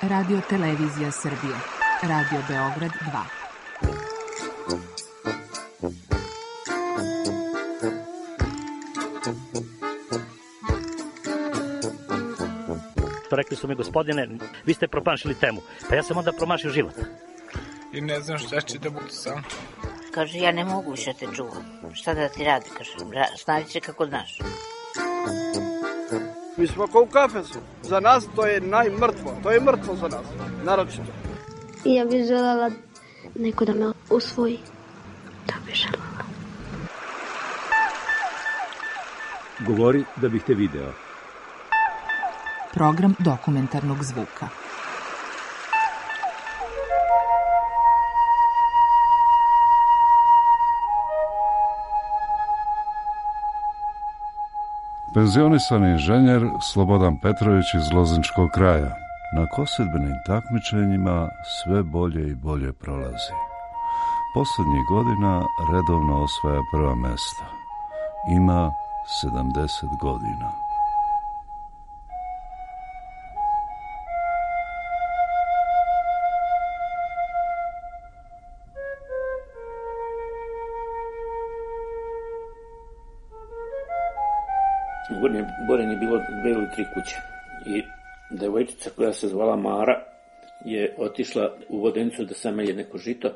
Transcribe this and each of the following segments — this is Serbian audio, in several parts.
Radio Televizija Srbije. Radio Beograd 2. Rekli su mi, gospodine, vi ste promašili temu. Pa ja sam onda promašio život. I ne znam šta će da bude sam. Kaže, ja ne mogu više te čuvam. Šta da ti radi, kaže, snaći će kako znaš. Mi smo kao u kafesu. Za nas to je najmrtvo. To je mrtvo za nas, naročito. Ja bih želela neko da me usvoji. To bih želela. Govori da bih te video. Program dokumentarnog zvuka. Penzionisani inženjer Slobodan Petrović iz Lozničkog kraja na kosidbenim takmičenjima sve bolje i bolje prolazi. Poslednjih godina redovno osvaja prva mesta. Ima 70 godina. U Gornjem Boreni je bilo 2 ili 3 kuće i devojčica koja se zvala Mara je otišla u Vodenicu da samelje neko žito.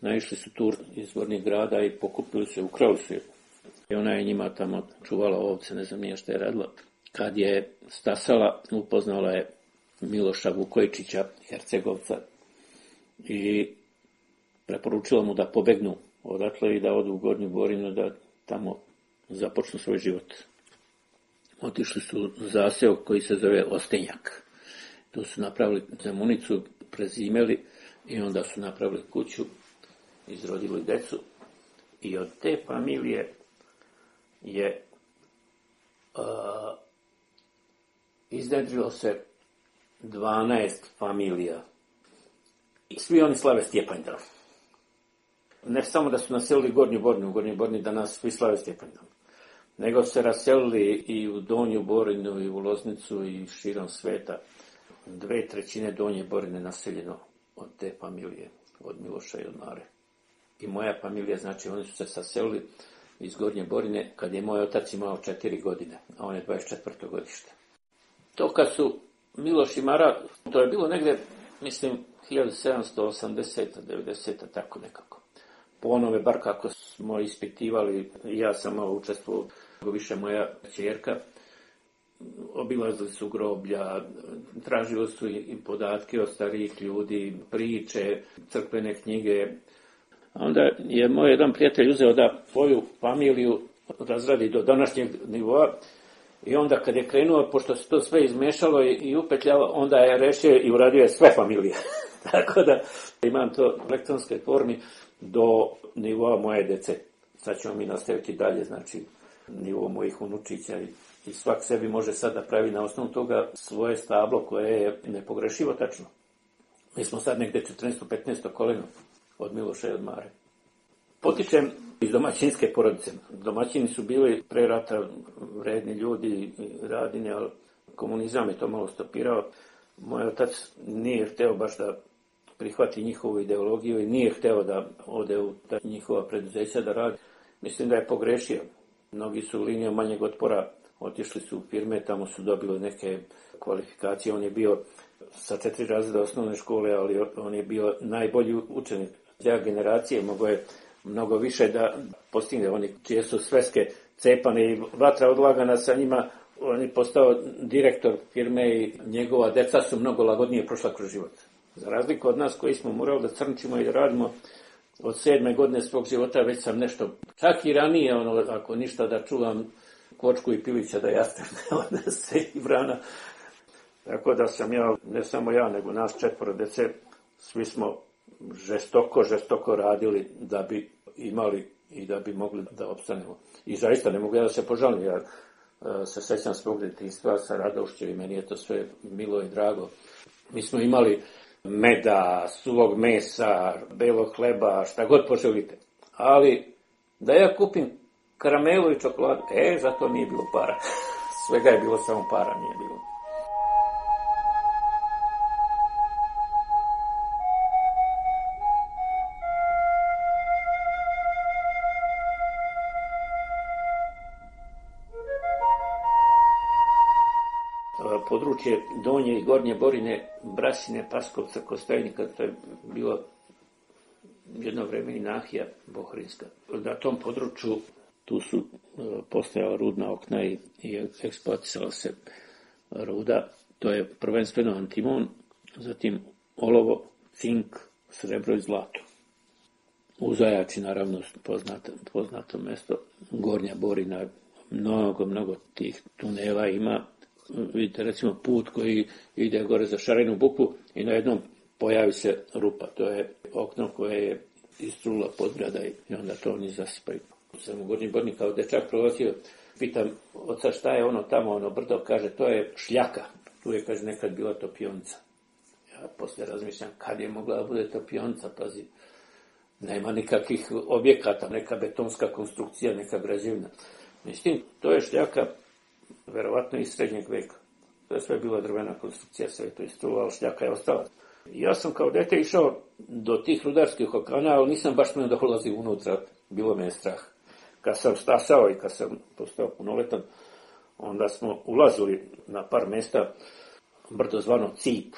Naišli su tur iz Gornjeg grada i pokupili su je, ukrali su je. I ona je njima tamo čuvala ovce, ne znam nije šta je radila. Kad je stasala, upoznala je Miloša Vukojičića, Hercegovca, i preporučila mu da pobegnu odatle i da odu u Gornju Borinu, da tamo započnu svoj život. Otišli su u zaseok koji se zove Ostenjak. Tu su napravili zemunicu, prezimeli i onda su napravili kuću, izrodili decu. I od te familije je iznedrilo se 12 familija. I svi oni slave Stjepanjdan. Ne samo da su naselili Gornju Borinu, u Gornjoj Borini danas svi slave Stjepanjdan, nego se raselili i u Donju Borinu, i u Loznicu, i širom sveta. 2/3 Donje Borine naseljeno od te familije, od Miloša i od Mare. I moja familija, znači, oni su se saselili iz Gornje Borine kad je moj otac imao 4 godine, a on je 24. godište. To kad su Miloš i Mara, to je bilo negde, mislim, 1780. 90. tako nekako. Po onome, bar kako smo ispitivali, ja sam malo učestvovao, više moja ćerka, obilazili su groblja, tražili su i podatke od starijih ljudi, priče, crkvene knjige. Onda je moj jedan prijatelj uzeo da svoju familiju razradi do današnjeg nivoa i onda kad je krenuo, pošto se to sve izmešalo i upetljalo, onda je rešio i uradio je sve familije. Tako da imam to u elektronskoj formi do nivoa moje dece. Sad ćemo mi nastaviti dalje, znači nivo mojih unučića i svak sebi može sad da pravi na osnovu toga svoje stablo koje je nepogrešivo tačno. Mi smo sad negde 14-15 koleno od Miloša i od Mare. Potičem iz domaćinske porodice. Domaćini su bili pre rata vredni ljudi i radini, ali komunizam je to malo stopirao. Moj otac nije hteo baš da prihvati njihovu ideologiju i nije hteo da ode u ta njihova preduzeća da radi. Mislim da je pogrešio. Mnogi su linijom manjeg otpora otišli su u firme, tamo su dobili neke kvalifikacije. On je bio sa 4 razreda osnovne škole, ali on je bio najbolji učenik. Ja generacije mogo je mnogo više da postigne. Oni čije su sveske cepane i vatra odlagana sa njima, on je postao direktor firme i njegova deca su mnogo lagodnije prošla kroz život. Za razliku od nas koji smo morali da crnčimo i da radimo od 7. godine svog života, već sam nešto, čak i ranije, ako ništa, da čuvam kočku i pilića da jastem, da se i vrana. Tako da sam ja, ne samo ja, nego nas 4 dece, svi smo žestoko radili da bi imali i da bi mogli da opstanemo. I zaista ne mogu ja da se požalim, ja se sećam svog detinjstva sa radošću i meni je to sve milo i drago. Mi smo imali meda, suvog mesa, belog hleba, šta god poželite. Ali da ja kupim karamelu i čokoladu, za to nije bilo para. Svega je bilo, samo para nije bilo. područje Donje i Gornje Borine, Brasine, Paskovca, Kostajnika, to je bilo jedno vreme i nahija Bohrinska. Na tom području tu su postojala rudna okna i eksploatisala se ruda. To je prvenstveno antimon, zatim olovo, cink, srebro i zlato. U Zajači, naravno, poznato mesto, Gornja Borina, mnogo tih tunela ima. Vidite, recimo, put koji ide gore za Šarenu Bukvu i na jednom pojavi se rupa. To je okno koje je istrula podgrada i onda to oni zasipaju. Sam u Gornji Borni kao dečak prolazio, pitam oca šta je ono tamo, ono brdo, kaže to je šljaka. Tu je, kaže, nekad bila topionica. Ja poslije razmišljam kad je mogla da bude topionica, pazi. Nema nikakvih objekata, neka betonska konstrukcija, neka građevina. Mislim, to je šljaka verovatno iz srednjeg veka. To je sve bila drvena konstrukcija, sve to istrula, ali šljaka je ostala. Ja sam kao dete išao do tih rudarskih okana, ali nisam baš smio da ulazim unutra, bilo me je strah. Kad sam stasao i kad sam postao punoletan, onda smo ulazili na par mjesta, brdo zvano Cip.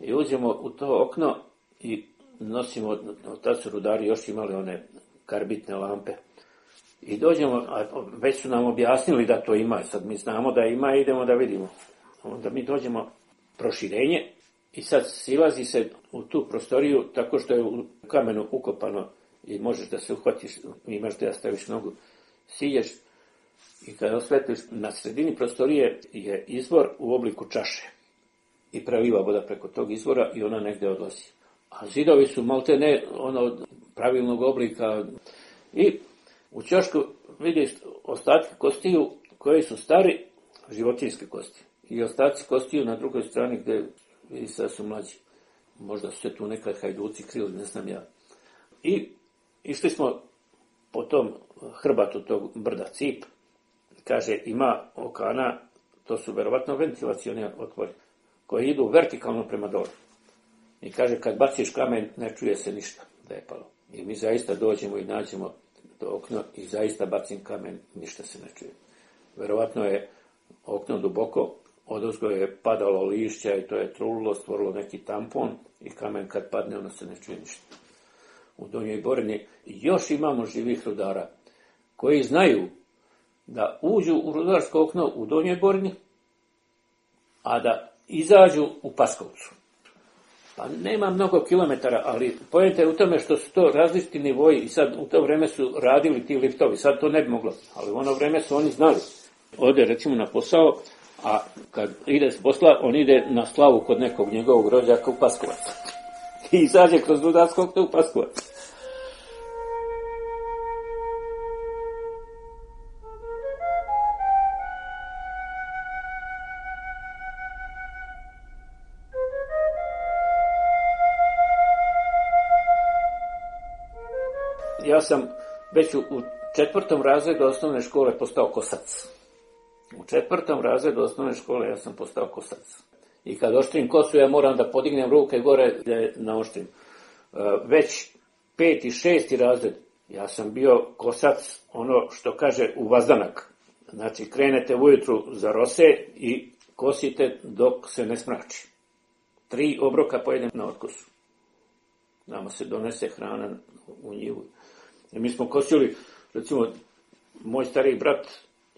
I uđemo u to okno i nosimo, tad su rudari još imali one karbitne lampe. I dođemo, a već su nam objasnili da to ima, sad mi znamo da ima i idemo da vidimo. Onda mi dođemo proširenje i sad silazi se u tu prostoriju tako što je u kamenu ukopano i možeš da se uhvatiš, imaš da staviš nogu, silješ i kada osvetliš na sredini prostorije je izvor u obliku čaše i preliva voda preko tog izvora i ona negde odlazi. A zidovi su malte ne pravilnog oblika i u ćošku vidiš ostatke kostiju koje su stari, životinjske kosti. I ostaci kostiju na drugoj strani gdje vidi se da su mlađi. Možda su se tu nekad hajduci krili, ne znam ja. I išli smo po tom hrbatu tog brda Cip. Kaže, ima okana, to su verovatno ventilacioni otvori, koji idu vertikalno prema dole. I kaže, kad baciš kamen, ne čuje se ništa da je palo. I mi zaista dođemo i nađemo to okno i zaista bacim kamen, ništa se ne čuje. Verovatno je okno duboko, odozgo je padalo lišća i to je trulilo, stvorilo neki tampon i kamen kad padne, ono se ne čuje ništa. U Donjoj Borini još imamo živih rudara koji znaju da uđu u rudarsko okno u Donjoj Borini, a da izađu u Paskovcu. Pa nema mnogo kilometara, ali poenta je u tome što su to različiti nivoji i sad u to vreme su radili ti liftovi, sad to ne bi moglo, ali u ono vreme su oni znali. Ode recimo na posao, a kad ide s posla, on ide na slavu kod nekog njegovog rođaka u Paskovac. I izađe kroz rudarsko okno u Paskovac. Ja sam već u 4. razredu osnovne škole postao kosac. U 4. razredu osnovne škole ja sam postao kosac. I kad oštrim kosu, ja moram da podignem ruke gore da je naoštrim. Već 5. i 6. razred ja sam bio kosac, ono što kaže u vazdanak. Znači, krenete ujutru za rose i kosite dok se ne smrači. 3 obroka pojedem na otkosu. Nama se donese hrana u njivu. I mi smo kosili, recimo, moj stariji brat,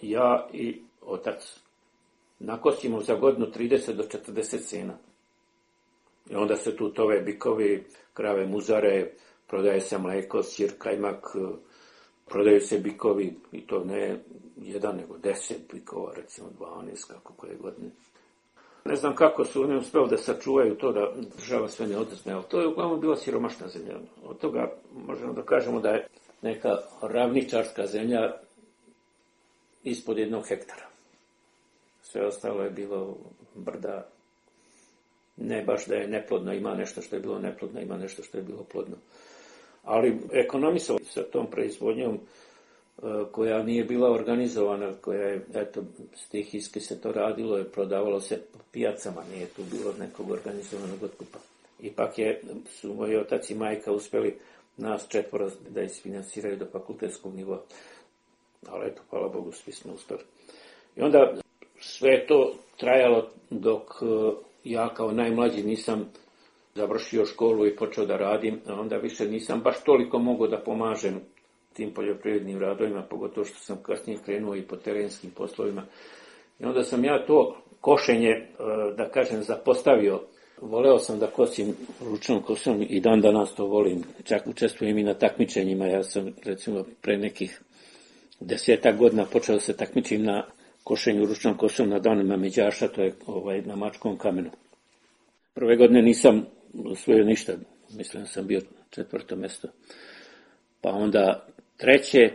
ja i otac. Nakosimo za godinu 30 do 40 sena. I onda se tu tove bikovi, krave muzare, prodaje se mleko, sir, kajmak, prodaju se bikovi, i to ne 1, nego 10 bikova, recimo 12, kako koje godine. Ne znam kako su oni uspeli da sačuvaju to da država sve ne oduzme, ali to je uglavnom bila siromašna zemlja. Od toga možemo da kažemo da je neka ravničarska zemlja ispod 1 hektara. Sve ostalo je bilo brda, ne baš da je neplodno, ima nešto što je bilo neplodno, ima nešto što je bilo plodno. Ali ekonomisao sa tom proizvodnjom koja nije bila organizovana, koja je, eto, stihijski se to radilo, je prodavalo se po pijacama, nije tu bilo nekog organizovanog otkupa. Ipak su moji otac i majka uspjeli nas 4 da isfinansiraju do fakultetskog nivoa. Ali eto, hvala Bogu, svi smo uspjeli. I onda sve je to trajalo dok ja kao najmlađi nisam završio školu i počeo da radim, a onda više nisam baš toliko mogao da pomažem tim poljoprivrednim radovima, pogotovo što sam kasnije krenuo i po terenskim poslovima. I onda sam ja to košenje, da kažem, zapostavio. Voleo sam da kosim ručnom kosom i dan danas to volim. Čak učestvujem i na takmičenjima. Ja sam, recimo, pre nekih 10 godina počeo da se takmičim na košenju ručnom kosom na danima međaša, to je na Mačkom kamenu. Prve godine nisam osvojio ništa, mislim da sam bio 4. mjesto. Pa onda 3,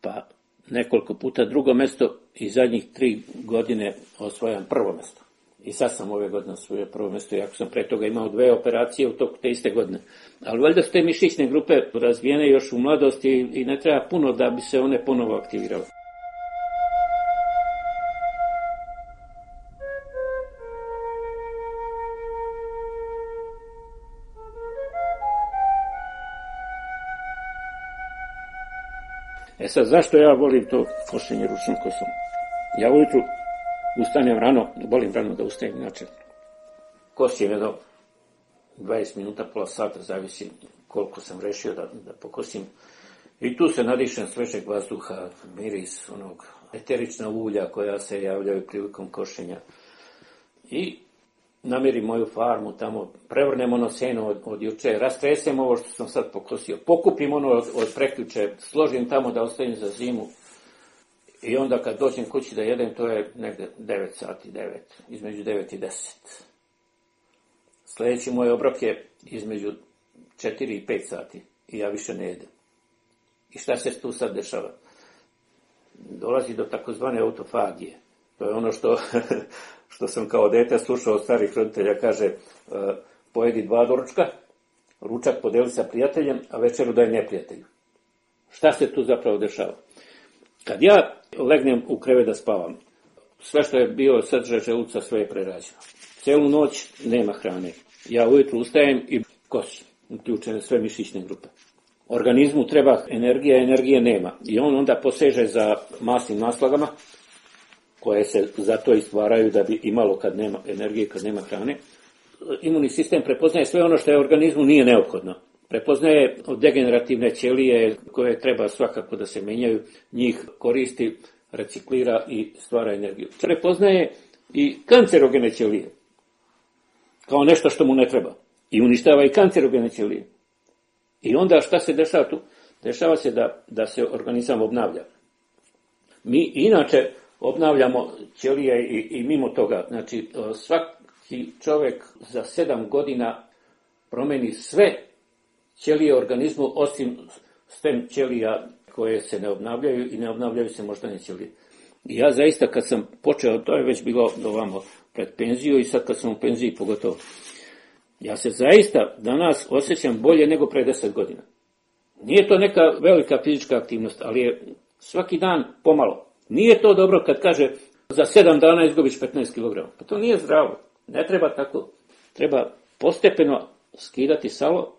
pa nekoliko puta 2. mjesto i zadnjih 3 godine osvojam 1. mjesto. I sad sam ove godine osvojio 1. mjesto, iako sam pre toga imao 2 operacije u toku te iste godine. Ali valjda su te mišićne grupe razvijene još u mladosti i ne treba puno da bi se one ponovo aktivirale. E sad, zašto ja volim to košenje ručnom kosom? Ja ujutru ustanem rano, volim rano da ustajem, inače kosim jedno 20 minuta, pola sata, zavisi koliko sam rešio da pokosim. I tu se nadišem svežeg vazduha, miris onog eterična ulja koja se javljaju prilikom košenja. I namirim moju farmu tamo, prevrnem ono seno od juče, rastresem ovo što sam sad pokosio, pokupim ono od prekjuče, složim tamo da ostavim za zimu. I onda kad dođem kući da jedem, to je negde 9 sati, između 9 i 10. Sljedeći moj obrok je između 4 i 5 sati i ja više ne jedem. I šta se tu sad dešava? Dolazi do takozvane autofagije. To je ono što sam kao dete slušao od starih roditelja, kaže pojedi 2 doručka, ručak podeli sa prijateljem, a večeru daj neprijatelju. Šta se tu zapravo dešava? Kad ja legnem u krevet da spavam, sve što je bio sadržaj želuca, sve je prerađeno. Celu noć nema hrane. Ja ujutru ustajem i kosim, uključene sve mišićne grupe. Organizmu treba energija, energije nema. I on onda poseže za masnim naslagama, koje se zato i stvaraju da bi imalo kad nema energije, kad nema hrane. Imunni sistem prepoznaje sve ono što je organizmu nije neophodno. Prepoznaje degenerativne ćelije koje treba svakako da se menjaju, njih koristi, reciklira i stvara energiju. Prepoznaje i kancerogene ćelije kao nešto što mu ne treba i uništava i kancerogene ćelije. I onda šta se dešava tu? Dešava se da se organizam obnavlja. Mi inače obnavljamo ćelije i mimo toga. Znači, svaki čovjek za 7 godina promeni sve ćelije organizmu, osim stem ćelija koje se ne obnavljaju i ne obnavljaju se moždane ćelije. I ja zaista kad sam počeo, to je već bilo ovamo pred penziju i sad kad sam u penziji pogotovo, ja se zaista danas osjećam bolje nego pre 10 godina. Nije to neka velika fizička aktivnost, ali je svaki dan pomalo. Nije to dobro kad kaže za 7 dana izgubiš 15 kg. Pa to nije zdravo. Ne treba tako. Treba postepeno skidati salo,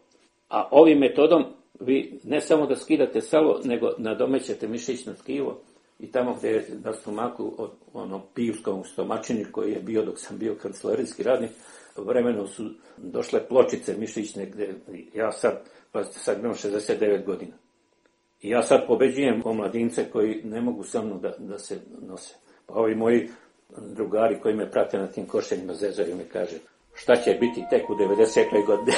a ovim metodom vi ne samo da skidate salo, nego nadomećete mišićno tkivo i tamo gdje je na stomaku, od onom pivskom stomačini koji je bio dok sam bio kancelarijski radnik, vremenom su došle pločice mišićne gdje ja sad imam 69 godina. I ja sad pobeđujem omladince koji ne mogu sa mnom da se nose. Pa ovi moji drugari koji me prate na tim košenjima zezaju mi kaže šta će biti tek u 90. godini.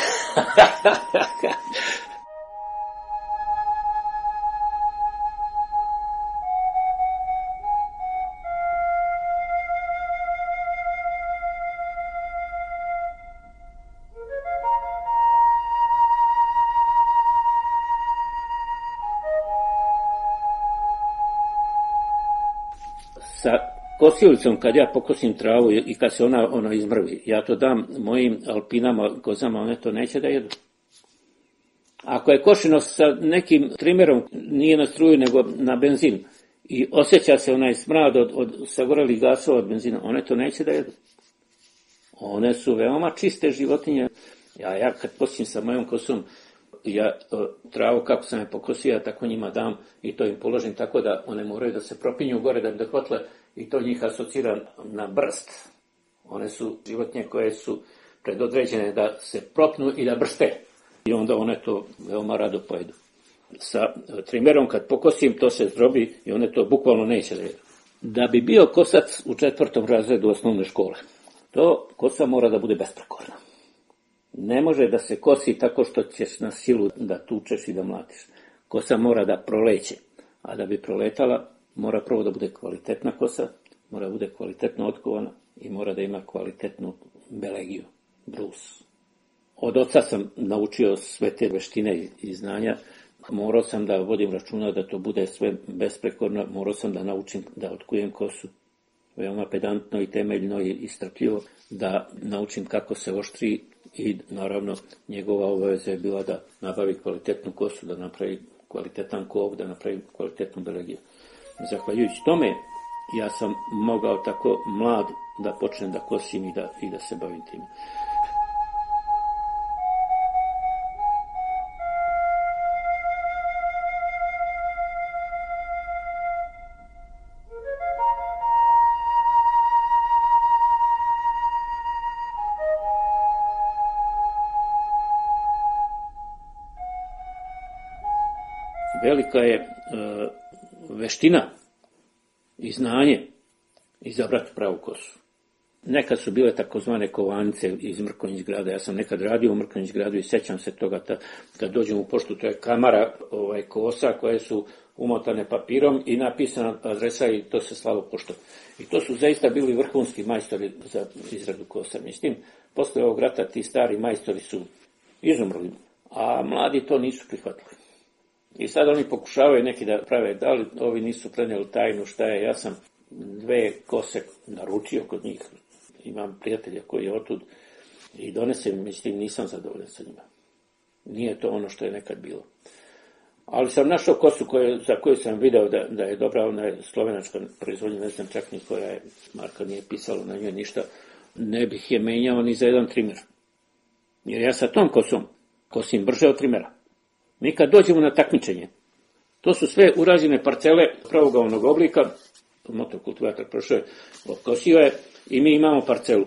Sa kosilicom, kad ja pokosim travu i kad se ona izmrvi, ja to dam mojim alpinama, kozama, one to neće da jedu. Ako je košeno sa nekim trimerom, nije na struju nego na benzin, i osjeća se onaj smrad od sagorelih gasova od benzina, one to neće da jedu. One su veoma čiste životinje. Ja kad kosim sa mojom kosom, Ja travu kako sam je pokosio, ja tako njima dam i to im položim tako da one moraju da se propinju gore da bi dohvatile i to njih asocira na brst. One su životinje koje su predodređene da se propnu i da brste. I onda one to veoma rado pojedu. Sa trimerom kad pokosim, to se zdrobi i one to bukvalno neće da jedu. Da bi bio kosac u 4. razredu osnovne škole, to kosa mora da bude besprekorna. Ne može da se kosi tako što ćeš na silu da tučeš i da mlatiš. Kosa mora da proleće, a da bi proletala, mora prvo da bude kvalitetna kosa, mora da bude kvalitetno otkovana i mora da ima kvalitetnu belegiju, brus. Od oca sam naučio sve te veštine i znanja. Morao sam da vodim računa da to bude sve besprekorno, morao sam da naučim da otkujem kosu. Veoma pedantno i temeljno i strpljivo da naučim kako se oštri i naravno njegova obaveza je bila da nabavi kvalitetnu kosu, da napravi kvalitetan kov, da napravi kvalitetnu belegiju. Zahvaljujući tome ja sam mogao tako mlad da počnem da kosim i da se bavim tim. Velika je veština i znanje izabrati pravu kosu. Nekad su bile takozvane kovanice iz Mrkonjić grada. Ja sam nekad radio u Mrkonjić gradu i sećam se toga kad dođem u poštu, to je kamara kosa koje su umotane papirom i napisana adresa i to se slalo poštom. I to su zaista bili vrhunski majstori za izradu kosa. Mislim, posle ovog rata ti stari majstori su izumrli, a mladi to nisu prihvatili. I sad oni pokušavaju neki da prave, da li ovi nisu prenijeli tajnu šta je. Ja sam 2 kose naručio kod njih. Imam prijatelja koji je otud i donesem, mislim, nisam zadovoljan sa njima. Nije to ono što je nekad bilo. Ali sam našao kosu za koju sam video da je dobra, ona je slovenačka proizvodnja, ne znam čak ni koja je, marka nije pisalo na njoj ništa. Ne bih je menjao ni za jedan trimer. Jer ja sa tom kosom kosim brže od trimera. Mi kad dođemo na takmičenje, to su sve urađene parcele pravougalnog oblika, motokultivator prošao je, okosio je i mi imamo parcelu.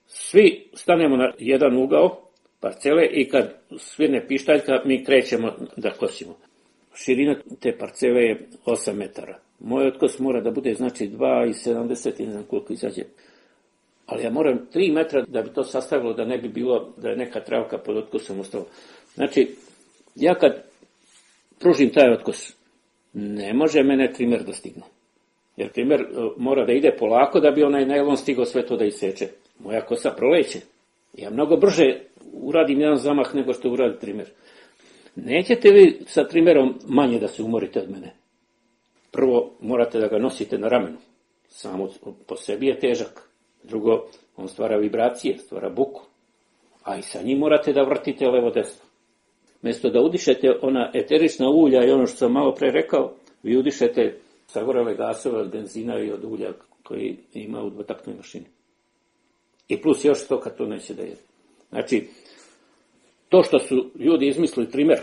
Svi stanemo na jedan ugao parcele i kad svirne pištaljka mi krećemo da kosimo. Širina te parcele je 8 metara. Moj otkos mora da bude znači 2,70 i ne znam koliko izađe. Ali ja moram 3 metra da bi to sastavilo da ne bi bilo da je neka travka pod otkosom ostala. Znači, ja kad pružim taj otkos, ne može mene trimer da stigne. Jer trimer mora da ide polako da bi onaj najlon stigao sve to da iseče. Moja kosa proleće. Ja mnogo brže uradim jedan zamah nego što uradi trimer. Nećete vi sa trimerom manje da se umorite od mene. Prvo, morate da ga nosite na ramenu. Samo po sebi je težak. Drugo, on stvara vibracije, stvara buku. A i sa njim morate da vrtite levo-desno. Mjesto da udišete ona eterična ulja i ono što sam malo pre rekao, vi udišete sagorele gasove od benzina i od ulja koji ima u dvotaktnoj mašini. I plus još to kad to neće da jede. Znači, to što su ljudi izmislili trimer,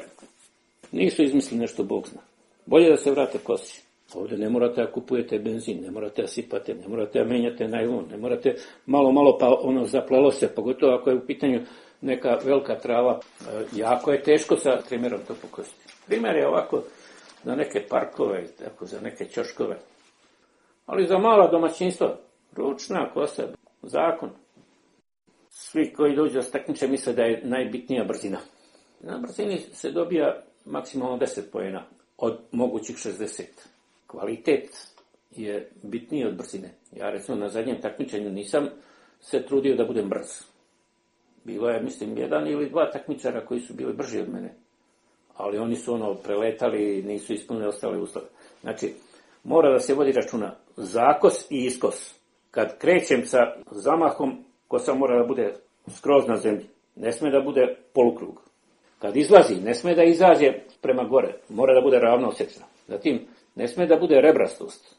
nisu izmislili nešto Bog zna. Bolje da se vrate kosi. Ovdje ne morate da kupujete benzin, ne morate da sipate, ne morate da menjate najlon, ne morate malo pa ono zaplelo se, pogotovo ako je u pitanju neka velika trava. Jako je teško sa trimerom to pokositi. Trimer je ovako za neke parkove, tako za neke ćoškove. Ali za mala domaćinstva, ručna kosa, zakon. Svi koji dođu da takmiče misle da je najbitnija brzina. Na brzini se dobija maksimalno 10 poena od mogućih 60. Kvalitet je bitniji od brzine. Ja recimo na zadnjem takmičenju nisam se trudio da budem brz. Bilo je, mislim, 1 ili 2 takmičara koji su bili brži od mene. Ali oni su preletali i nisu ispunili ostale uslove. Znači, mora da se vodi računa zakos i iskos. Kad krećem sa zamahom, kosa mora da bude skroz na zemlji. Ne sme da bude polukrug. Kad izlazi, ne sme da izađe prema gore. Mora da bude ravno osjećana. Zatim, ne sme da bude rebrastost.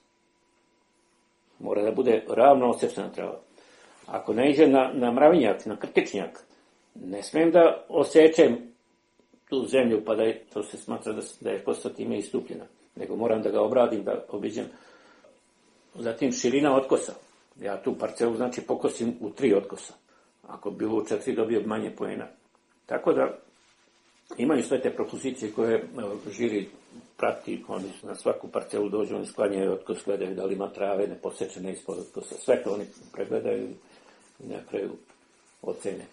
Mora da bude ravno osjećana trava. Ako ne iđe na mravinjak, na krtičnjak, ne smijem da osjećem tu zemlju pa da je, to se smatra da je kosa time istupljena. Nego moram da ga obradim, da obiđem. Zatim širina otkosa. Ja tu parcelu znači pokosim u 3 otkosa. Ako bi bilo u 4 dobio manje poena. Tako da imaju sve te propozicije koje žiri prati, oni na svaku parcelu dođu, oni sklanjaju otkos, gledaju da li ima trave, neposečene ispod otkosa. Sve to oni pregledaju i na kraju ocene.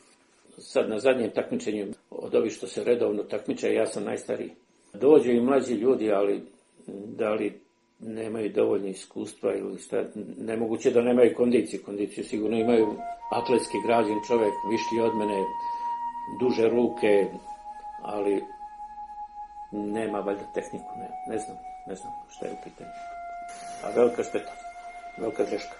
Sad na zadnjem takmičenju od ovih što se redovno takmiče, ja sam najstariji. Dođu i mlađi ljudi, ali da li nemaju dovoljno iskustva ili šta, nemoguće da nemaju kondiciju. Kondiciju sigurno imaju atletski građen čovjek, višlji od mene, duže ruke, ali nema valjda tehniku, ne znam šta je u pitanju. A velika šteta, velika greška.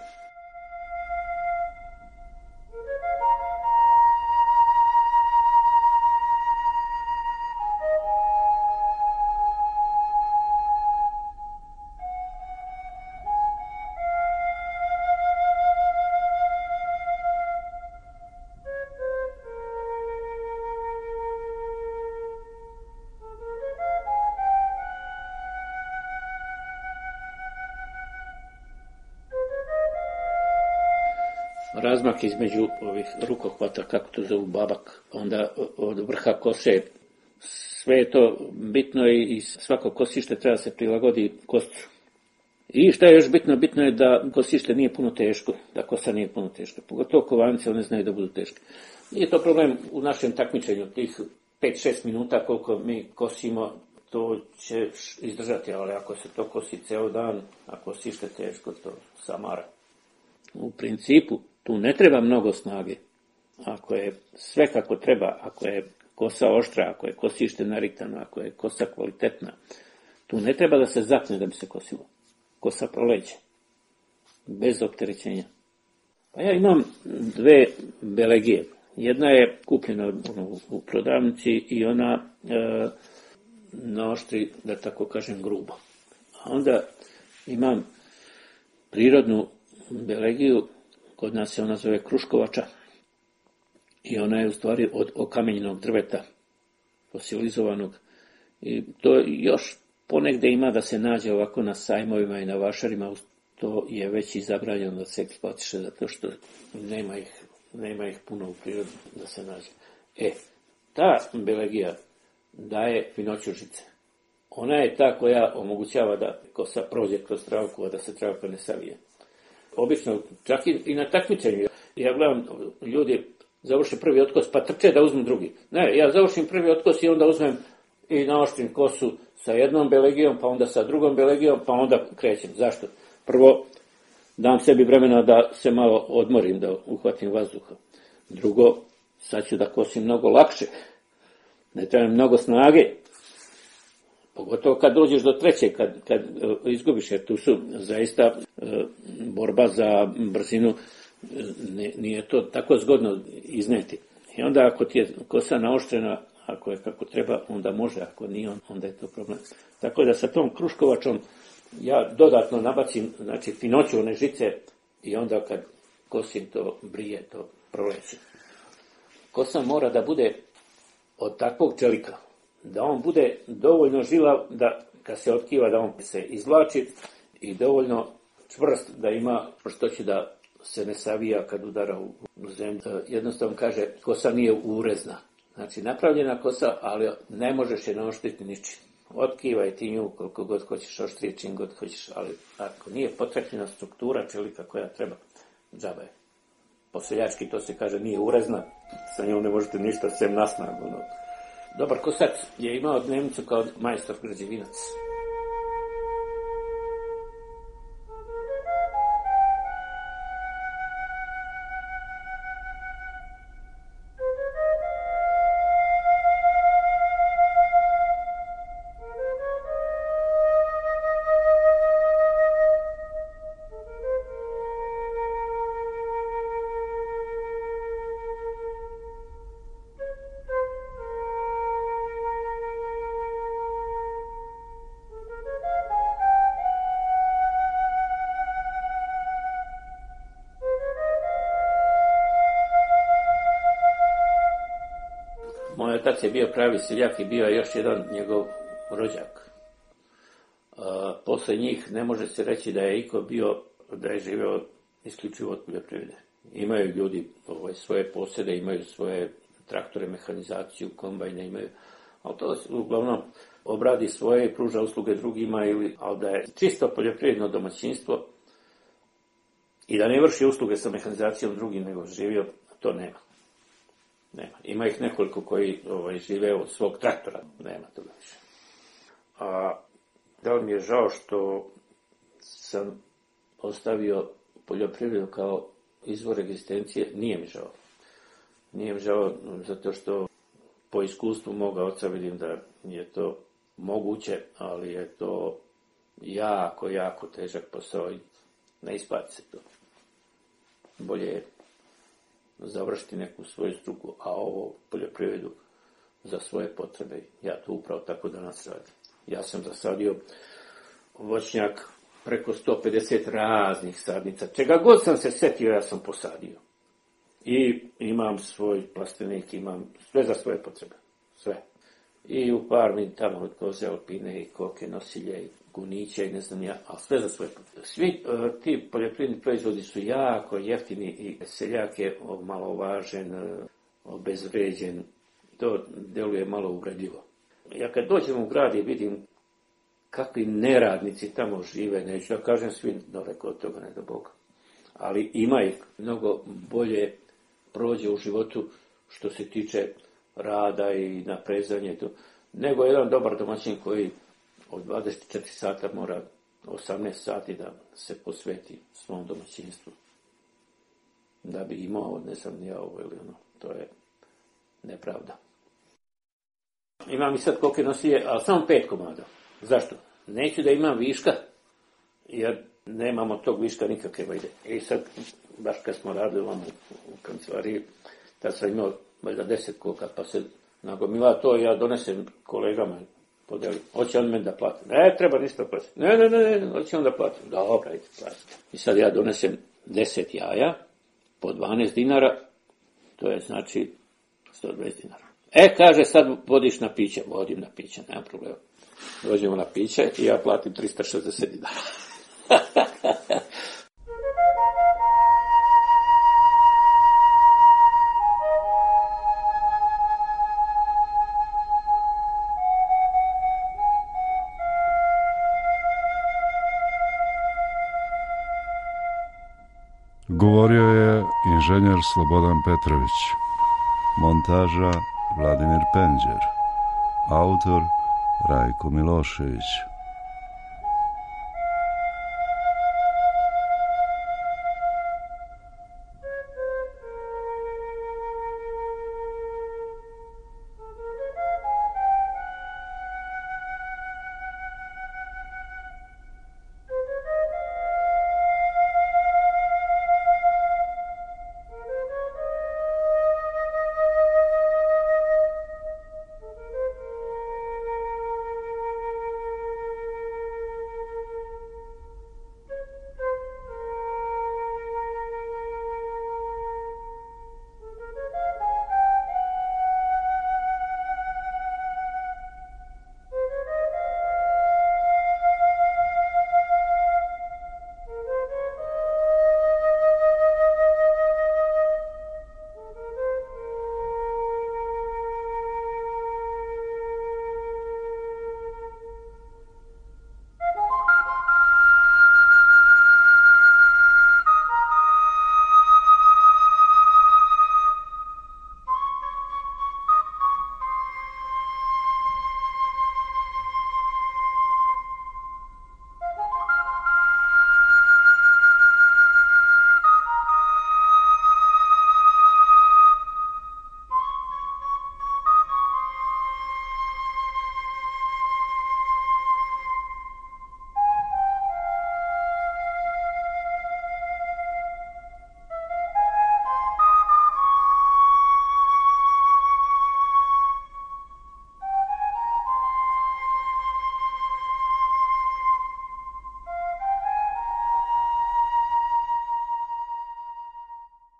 Razmak između ovih rukohvata, kako to zovu babak, onda od vrha kose, sve je to bitno i svako kosište treba se prilagodi koscu. I šta je još bitno? Bitno je da kosište nije puno teško, da kosa nije puno teška. Pogotovo kovanice, one znaju da budu teške. Nije to problem u našem takmičenju, tih 5-6 minuta koliko mi kosimo, to će izdržati, ali ako se to kosi ceo dan, ako kosište teško, to samara. U principu, tu ne treba mnogo snage. Ako je sve kako treba, ako je kosa oštra, ako je kosište nariktano, ako je kosa kvalitetna, tu ne treba da se zapne da bi se kosilo. Kosa proleće. Bez opterećenja. Pa ja imam 2 belegije. Jedna je kupljena u prodavnici i ona naoštri, da tako kažem, grubo. A onda imam prirodnu belegiju, kod nas se ona zove kruškovača i ona je u stvari od okamenjenog drveta, fosilizovanog. I to još ponegde ima da se nađe ovako na sajmovima i na vašarima, to je već i zabranjeno da se eksploatiše, zato što nema ih puno u prirodi da se nađe. Ta belegija daje finoću žice. Ona je ta koja omogućava da kosa prođe kroz travku, a da se travka ne savije. Obično, čak i na takmičenju. Ja gledam, ljudi završe prvi otkos, pa trče da uzmu drugi. Ne, ja završim prvi otkos i onda uzmem i naoštrim kosu sa jednom belegijom, pa onda sa drugom belegijom, pa onda krećem. Zašto? Prvo, dam sebi vremena da se malo odmorim, da uhvatim vazduha. Drugo, sad ću da kosim mnogo lakše. Ne treba mnogo snage. Pogotovo kad dođeš do treće, kad izgubiš, jer tu su zaista borba za brzinu, nije to tako zgodno izneti. I onda ako ti je kosa naoštrena, ako je kako treba, onda može, ako nije, onda je to problem. Tako da sa tom kruškovačom ja dodatno nabacim, znači finoću one žice i onda kad kosim to brije, to proleće. Kosa mora da bude od takvog čelika, da on bude dovoljno žilav da kad se otkiva da on se izvlači i dovoljno čvrst da ima što će da se ne savija kad udara u zemlju. Jednostavno kaže, kosa nije urezna. Znači napravljena kosa, ali ne možeš je naoštriti ničim. Otkivaj ti nju koliko god hoćeš, oštrije čim god hoćeš, ali ako nije potrebna struktura čelika koja treba, džaba je. Po seljački to se kaže nije urezna, sa njom ne možete ništa sem na snagu. Dobar kosač je imao dnevnicu kao majstor građevinac. otac je bio pravi seljak i bio je još jedan njegov rođak. Posle njih ne može se reći da je iko bio, da je živeo isključivo od poljoprivrede. Imaju ljudi svoje posjede, imaju svoje traktore, mehanizaciju, kombajne imaju, ali to uglavnom obradi svoje i pruža usluge drugima, ali da je čisto poljoprivredno domaćinstvo i da ne vrši usluge sa mehanizacijom drugim nego živio, to nema. Ima ih nekoliko koji žive od svog traktora, nema toga više. A da li mi je žao što sam ostavio poljoprivredu kao izvor egzistencije? Nije mi žao. Nije mi žao zato što po iskustvu moga oca vidim da je to moguće, ali je to jako, jako težak posao i ne isplati se to. Bolje je završiti neku svoju struku, a ovo poljoprivredu za svoje potrebe. Ja to upravo tako danas radim. Ja sam zasadio voćnjak preko 150 raznih sadnica. Čega god sam se setio, ja sam posadio. I imam svoj plastenik, imam sve za svoje potrebe. Sve. I u farmi tamo od koze, alpine i koke, nosilje i guniće i ne znam ja, ali sve za svoje potrebe. Svi ti poljoprivredni proizvodi su jako jeftini i seljak je omalovažen, obezvređen. To deluje malo uvredljivo. Ja kad dođem u grad i vidim kakvi neradnici tamo žive, neću da kažem svi daleko od toga, ne do Boga. Ali ima ih mnogo bolje prođe u životu što se tiče rada i naprezanja i to, nego jedan dobar domaćin koji od 24 sata mora 18 sati da se posveti svom domaćinstvu. Da bi imao, ne znam ja ovo ili ono, to je nepravda. Imam i sad koliko nosilje, ali samo 5 komada. Zašto? Neću da imam viška, jer nemamo tog viška nikakve vajde. I sad, baš kad smo radili vam u kancelariji, tad sam imao valjda 10 koka, pa se nagomila to, ja donesem kolegama, podelim. Hoće on meni da plati. Ne, treba ništa platiti. Ne, hoće on da plati. Dobra, ajde, platiti. I sad ja donesem 10 jaja, po 12 dinara, to je znači 120 dinara. Kaže, sad vodiš na piće. Vodim na piće, nema problema. Dođemo na piće i ja platim 360 dinara. Govorio je inženjer Slobodan Petrović. Montaža Vladimir Penđer. Autor Rajko Milošević.